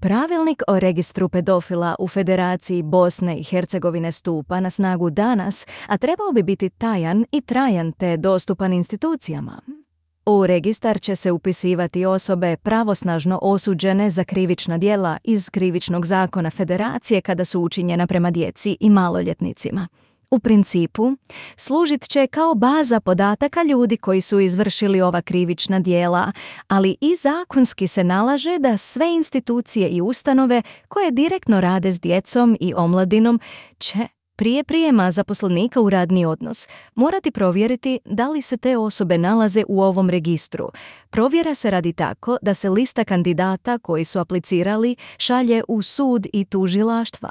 Pravilnik o registru pedofila u Federaciji Bosne i Hercegovine stupa na snagu danas, a trebao bi biti tajan i trajan te dostupan institucijama. U registar će se upisivati osobe pravosnažno osuđene za krivična djela iz krivičnog zakona Federacije kada su učinjena prema djeci i maloljetnicima. U principu, služit će kao baza podataka ljudi koji su izvršili ova krivična djela, ali i zakonski se nalaže da sve institucije i ustanove koje direktno rade s djecom i omladinom će prije prijema zaposlenika u radni odnos morati provjeriti da li se te osobe nalaze u ovom registru. Provjera se radi tako da se lista kandidata koji su aplicirali šalje u sud i tužilaštva.